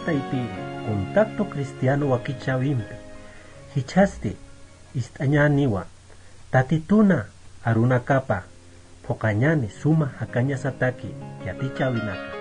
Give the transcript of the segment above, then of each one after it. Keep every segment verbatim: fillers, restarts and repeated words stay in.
Taypiri, Contacto Cristiano wakichäwimpi jichhasti ist'añäniwa, Tatituna arunakapa phuqañäni suma jakañasataki yatichäwinaka.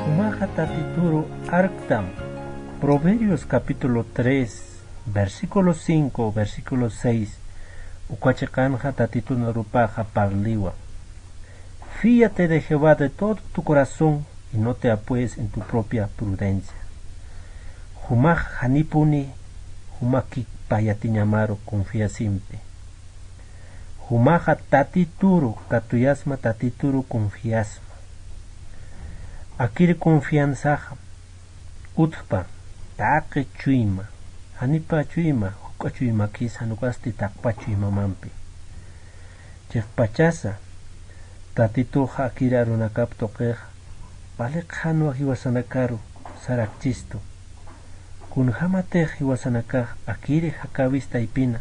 Jumaxa Tatituru arktam. Proverbios capítulo tres, versículo cinco, versículo seis, uka chiqanxa Tatitun arupaxa parliwa. Fíate de Jehová de todo tu corazón y no te apoyes en tu propia prudencia. Jumax janipuni, jumakikpa yatiñamaru confiasimpi. Jumaxa Tatituru katuyasma, Tatituru confiasma. Akiri confianzaxa utjpa taqi chuyma, janipa chuyma, juk'a chuymakis, jan ukasti taqpa chuymamampi. Chiqpachasa, Tatituxa akiri arunakap tuqixa, wali qhanwa jiwasanakaru sarakchistu. Kunjämatix jiwasanakax akiri jakäwis taypina,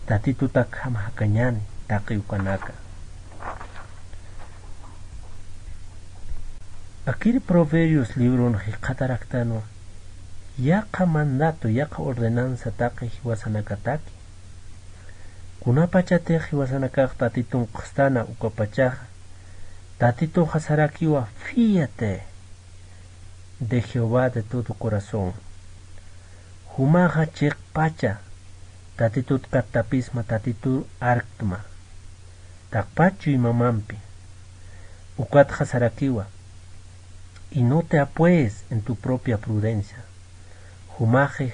Tatitutakjam jakañäni taqi ukanaka. Akiri Proverbios libron jikxataraktanwa, yaqha mandato, yaqha ordenanza taqi jiwasanakataki. Kunapachatix jiwasanakax Tatitun q'ustana ukapachaxa, Tatituxa sarakiwa fíate de Jehová de todo corazón. Jumaxa chiqpacha Tatitut kattapisma, Tatituru arktma. Taqpa chuymamampi. Ukatxa sarakiwa. Y no te apoyes en tu propia prudencia. Jumaxi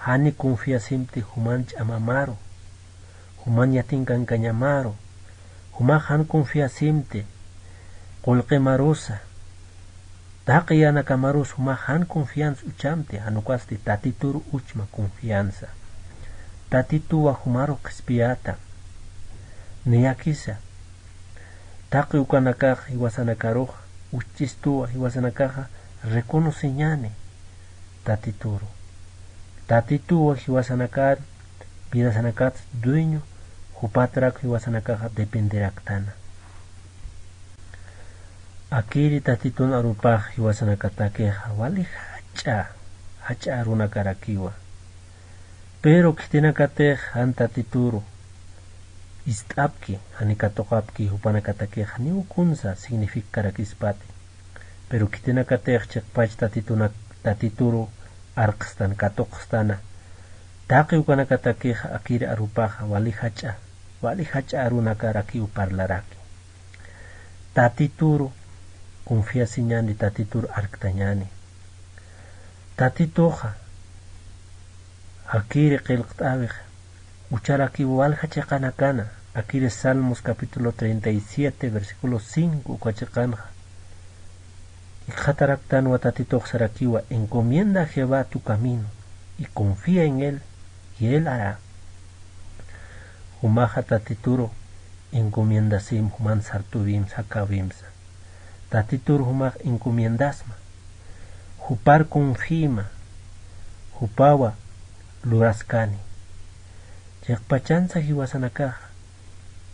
jani confiasimti juman ch'amamaru, juman yatinkankañamaru, jumax jan confiasimti qullqimarusa, taqi yänakamarus jumax jan confianza uchamti, jan ukasti Tatituru uchma confianza. Tatituwa jumaru qhispiyäta, niyakisa. Taqi ukanakax jiwasanakaruxa, uchchistuwa jiwasanakaxa reconociñäni Tatituru. Tatituwa jiwasanakar, vidasanakats dueño, jupatrak jiwasanakaxa dependeraktana. Akiri Tatitun arupax jiwasanakatakixa wali jach'a, jach'a arunakarakiwa. Pero khitinakatix jan Tatituru ist'apki, jani katuqapki, jupanakatakix janiw kunsa significarakïspati. Pero khitinakatix chiqpach Tatituna-, Tatituru arqstan, katuqstana, taqi ukanakatakix akiri arupaxa wali jach'a, wali jach'a arunakarakiw parlaraki. Tatituru confiasiñäni, Tatituru arktañäni. Tatituxa, akiri qillqt'äwix, ucharakiw walja chiqanakana, akiri Salmos capítulo treinta y siete, versículo cinco, uka chiqanxa. Jikxataraktanwa Tatitux sarakiwa, encomienda a Jehová tu camino, y confía en él, y él hará. Jumaxa Tatituru encomiendasim, juman sartuwimsa, jakäwimsa. Tatituru jumax encomiendasma, jupar confiima, jupawa luraskani. Chiqpachansa jiwasanakaxa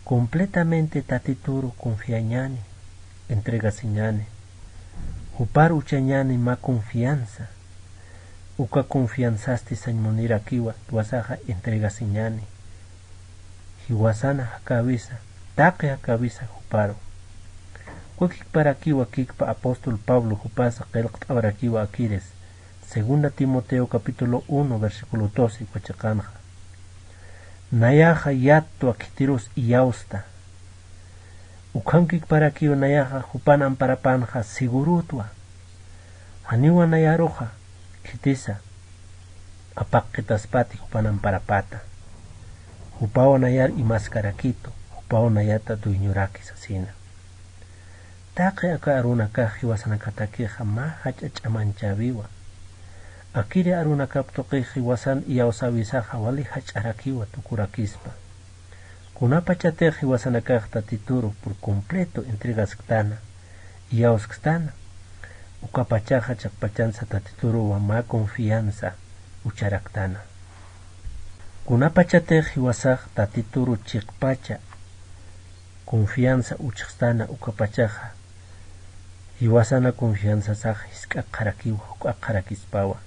completamente Tatituru confiañäni, entregasiñäni, jupar uchañäni mä confianza. Uka confianzasti sañ munirakiwa, jiwasaxa entregasiñäni. Jiwasana jakäwisa, taqi jakäwisa juparu. Kukikparakiwa kikpa apóstol Pablo jupasa qillqt'awarakiwa akiris. Segunda Timoteo capítulo uno, versículo doce, uka chiqanxa. Nayaxa yattwa khitirus iyawsta. Ukhankikparakiw nayaxa jupan amparapanxa segurutwa. Janiwa nayaruxa khitisa apaqitaspati jupan amparapata. Jupaw nayar imaskarakitu, jupaw nayata dueñoraki sasina. Taqi aka arunakax jiwasanakatakixa mä jach'a ch'amanchäwiwa. Akiri arunakap tuqix jiwasan iyawsäwisaxa wali jach'arakiwa tukurakispa. Kunapachatix jiwasanakax Tatituru por completo entregasktana, iyawskstana, ukapachaxa chiqpachansa Tatituruwa mä confianza ucharaktana. Kunapachatix jiwasax Tatituru chiqpacha confianza uchxstana ukapachaxa, jiwasana confianzasax jisk'akxarakiwa, juk'akxarakispawa.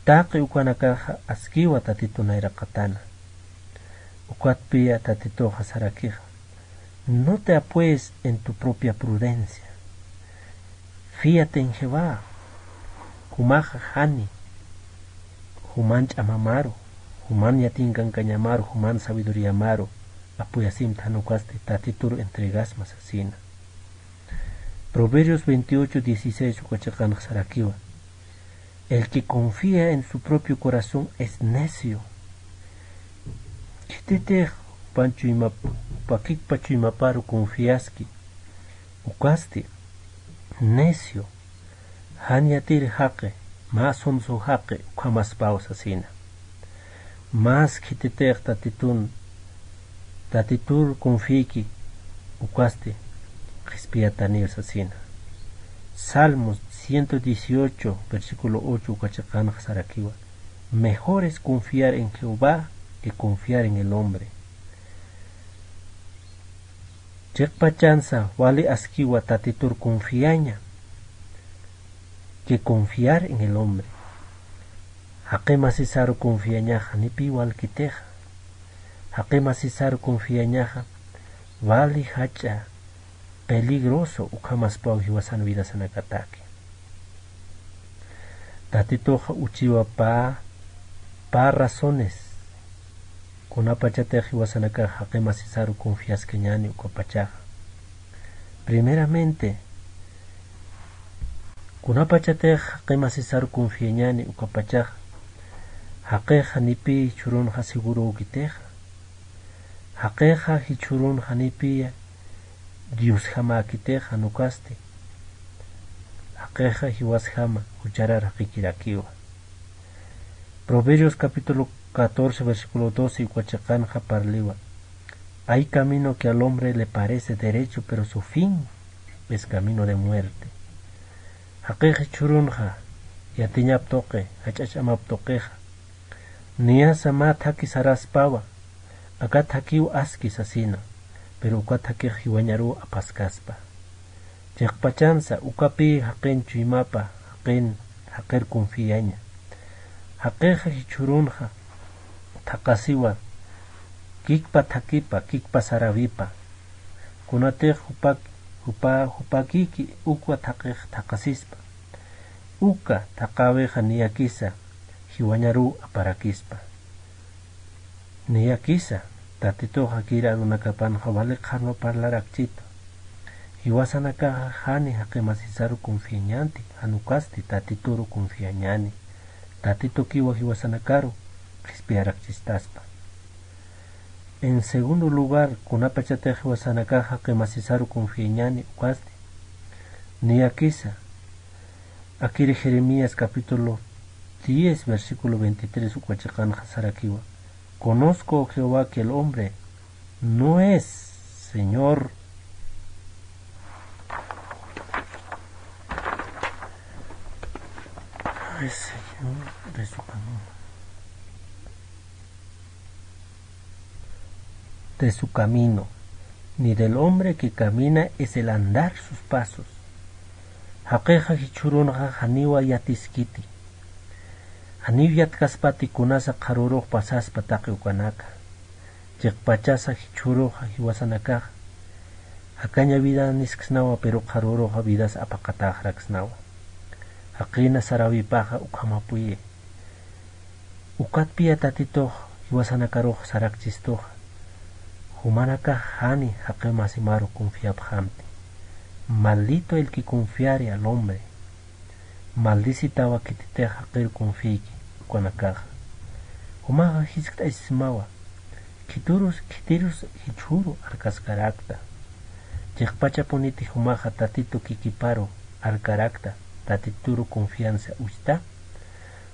Taqi ukanakaxa askiwa Tatitu nayraqatana. Ukatpiya Tatituxa sarakixa: "No te apoyes en tu propia prudencia. Fíate en Jehová." Jumaxa jani, juman ch'amamaru, juman yatinkankañamaru, juman sabiduríamaru apoyasimta, jan ukasti Tatituru entregasma sasina. Proverbios veintiocho dieciséis uka chiqanx sarakiwa: "El que confía en su propio corazón es necio." Khititix jupan chuymap-, pakikpa chuymaparu confiaski, ukasti necio, jan yatiri jaqi, mä sonso jaqi ukhamaspaw sasina. Mas khititix Tatitun, Tatitur confiyki, ukasti qhispiyataniw sasina. Salmos ciento dieciocho, versículo ocho uka chiqanx sarakiwa: "Mejor es confiar en Jehová que confiar en el hombre." Chiqpachansa wali askiwa Tatitur confiaña que confiar en el hombre. Jaqi masisaru confiañaxa janipiw walkitixa. Jaqi masisaru confiañaxa wali jach'a peligroso ukhamaspaw jiwasan vidasanakataki. Tatituxa uchiwa pä, pä razones kunapachatix jiwasanakax jaqi masisaru confiaskañäni ukapachaxa. Primeramente, kunapachatix jaqi masisaru confiañäni ukapachaxa, jaqixa janipiy jichhürunxa segurökitixa. Jaqixa jichhürunxa janipiya Diosjamäkitixa, jan ukasti jaqixa jiwasjama jucharar jaqikirakiwa. Proverbios capítulo catorce, versículo doce uka chiqanxa parliwa: "Hay camino que al hombre le parece derecho, pero su fin es camino de muerte." Jaqix jichhürunxa yatiñap tuqi, jach'a ch'amap tuqixa, niyasa mä thaki saraspawa, aka thakiw aski sasina, pero uka thakix jiwañaruw apaskaspa. Chiqpachansa ukapï jaqin chuymapa, jaqin, jaqir confiaña. Jaqixa jichhürunxa thaqasiwa kikpa thakipa, kikpa sarawipa. Kunatix jupak-, jupa-, jupakïki ukwa thaqix thaqasispa, uka thaqäwixa niyakisa jiwañaruw aparakispa. Niyakisa, Tatituxa kir arunakapanxa wali qharwa parlarakchitu. Jiwasanakaxa jani jaqi masisaru confiañanti, jan ukasti Tatituru confiañäni. Tatitukiwa jiwasanakaru qhispiyarakchistaspa. En segundo lugar, kunapachatix jiwasanakaxa jaqi masisaru confiañäni ukasti, niyakisa, akir Jeremías capítulo diez, versículo veintitrés uka chiqanxa sarakiwa: "Conozco, oh Jehová, que el hombre no es Señor." No es Señor de su camino. De su camino, ni del hombre que camina es el andar sus pasos. Jaqixa jichhürunxa janiwa yatiskiti. Janiw yatkaspati kunasa qharürux pasaspa taqi ukanaka. Chiqpachasa jichhüruxa jiwasanakaxa jakaña vida nisksnawa, pero qharüruxa vidas apaqataxraksnawa. Jaqïna saräwipaxa ukhamapuyi. Ukatpiya Tatitux jiwasanakarux sarakchistuxa, jumanakax jani jaqi masimaru confiapxamti. Maldito el que confiare al hombre. Maldicitawa khititix jaqir confiayki ukanakaxa. Jumaxa jiskt'asismawa, khitirus, khitirus jichhüru arkaskarakta. Chiqpachapuniti jumaxa Tatitu kikiparu arkarakta, Tatituru confianza uchta.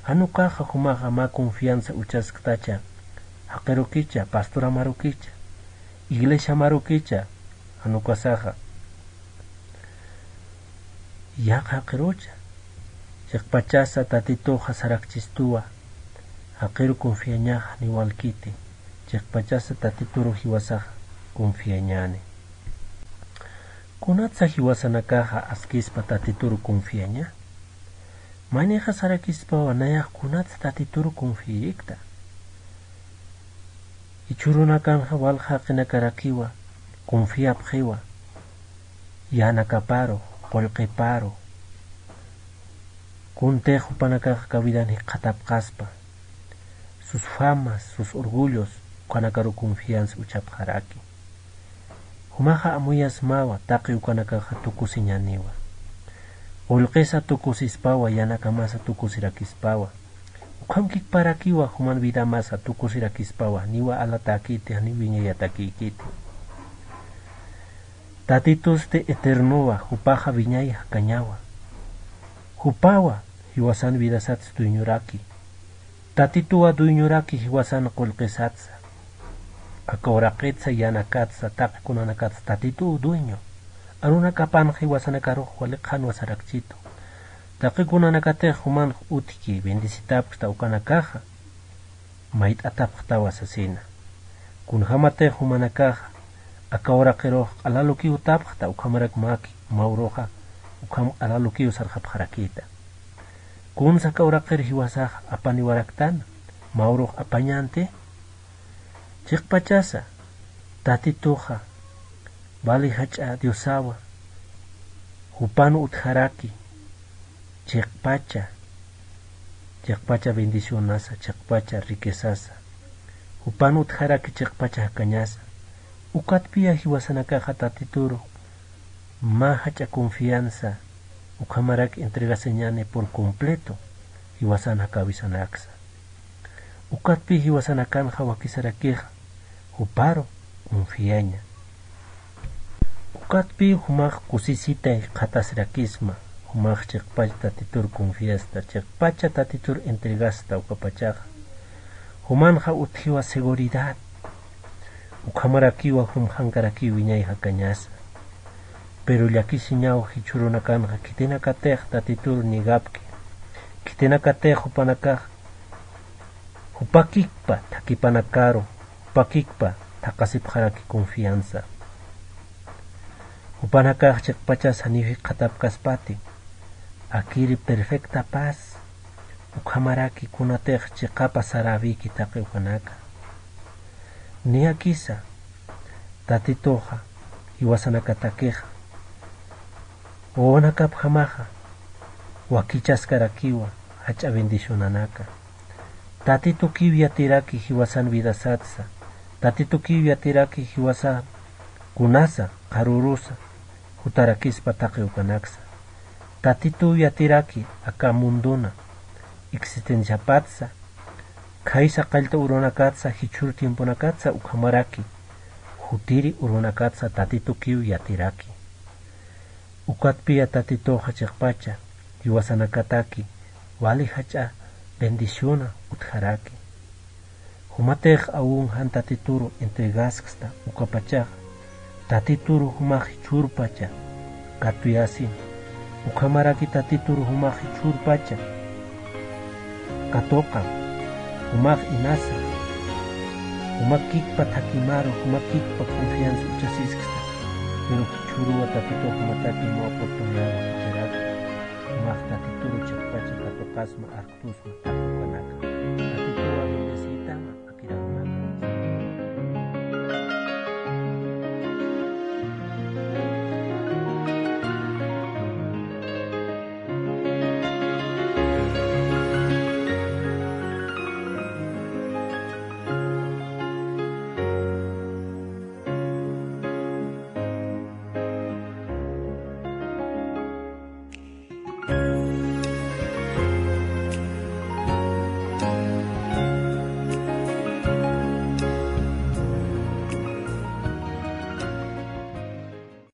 Jan ukaxa jumaxa mä confianza uchasktacha, jaqirukicha, pastoramarukicha, iglesiamarukicha, jan ukasaxa yaqha jaqirucha, chiqpachasa Tatituxa sarakchistuwa, jaqiru confiañaxa niwalkiti, chiqpachasa Tatituru jiwasaxa confiañani. Kunatsa jiwasanakaxa askispa Tatituru confiaña? Maynixa sarakispawa nayax kunatsa Tatituru confiirikta. Jichhürunakanxa walja jaqinakarakiwa confiapxiwa, yänakaparu, qullqiparu, kuntix jupanakaxa aka vidan jikxatapxaspa, sus famas, sus orgullos, ukanakaru confianza uchapxaraki. Jumaxa amuyasmawa, taqi ukanakaxa tukusiñaniwa. Qullqisa tukusispawa, yänakamasa tukusirakispawa. Ukham kikparakiwa, juman vidamasa tukusirakispawa, niwa alatäkiti, janiw wiñayatakïkiti. Tatitusti eternowa, jupaxa wiñay jakañawa. Jupawa, jiwasan vidasatsa dueñoraki. Tatituwa dueñoraki jiwasan qullqisatsa. Aka uraqitsa, yänakatsa, taqi kunanakatsa Tatituw dueño. Arunakapanxa jiwasanakarux wali qhanwa sarakchitu. Taqi kunanakatix jumanx utjki bendecitapxta ukanakaxa, mayt'atapxtawa sasina. Kunjämatix jumanakaxa aka uraqirux q'alalukiw utapxta, ukhamarak mäki, mä uruxa ukham q'alalukiw sarxapxarakïta. Kunsa aka uraqir jiwasax apaniwaraktana, mä urux apañänti. Chiqpachasa Tatituxa wali jach'a Diosawa, jupan utjaraki chiqpacha, chiqpacha bendicionasa, chiqpacha riquezasa, jupan utjaraki chiqpacha jakañasa. Ukatpiya jiwasanakaxa Tatituru mä jach'a confianza, ukhamarak entregasiñani por completo, jiwasan jakawisanaksa. Ukatpi jiwasanakanxa wakisarakixa, juparu confiaña. Ukatpi jumax kusisitay jikxatasirakisma, jumax chiqpach Tatitur confiasta, chiqpacha Tatitur entregasta ukapachaxa. Jumanxa utjiwa seguridad, ukhamarakiwa jumjankarakiw wiñay jakañasa. Pero llakisiñaw jichhürunakanxa khitinakatix Tatitur negapki, khitinakatix jupanakax jupakikpa thakipanakaru, jupakikpa thaqasipxaraki confianza. Jupanakax chiqpachas janiw jikxatapkaspati, akiri perfecta paz, ukhamaraki kunatix chiqapa saräwiki taqi ukanaka. Niyakisa, Tatituxa, jiwasanakatakixa, wawanakapjamaxa, wakichaskarakiwa, jach'a bendicionanaka. Tatitukiw yatiraki jiwasan vidasatsa, Tatitukiw yatiraki jiwasan kunasa, qharürusa, jutarakispa taqi ukanaksa. Tatituw yatiraki aka mundona existenciapatsa, khaysa qallta urunakatsa, jichhür tiemponakatsa ukhamaraki, jutiri urunakatsa Tatitukiw yatiraki. Ukatpiya Tatituxa chiqpacha, jiwasanakataki, wali jach'a bendiciona utjaraki. Jumatix aun jan Tatituru entregasksta ukapachaxa, Tatituru jumax jichhürpacha katuyasin, ukhamaraki Tatituru jumax jichhürpacha katuqan, jumax inasa, jumakikpa thakimaru, jumakikpa confianza uchasisksta, pero jichhüruwa Tatitux jumataki mä oportunidad jichhüraki, jumax Tatituru chiqpacha katuqasma, arktusma, thakukan.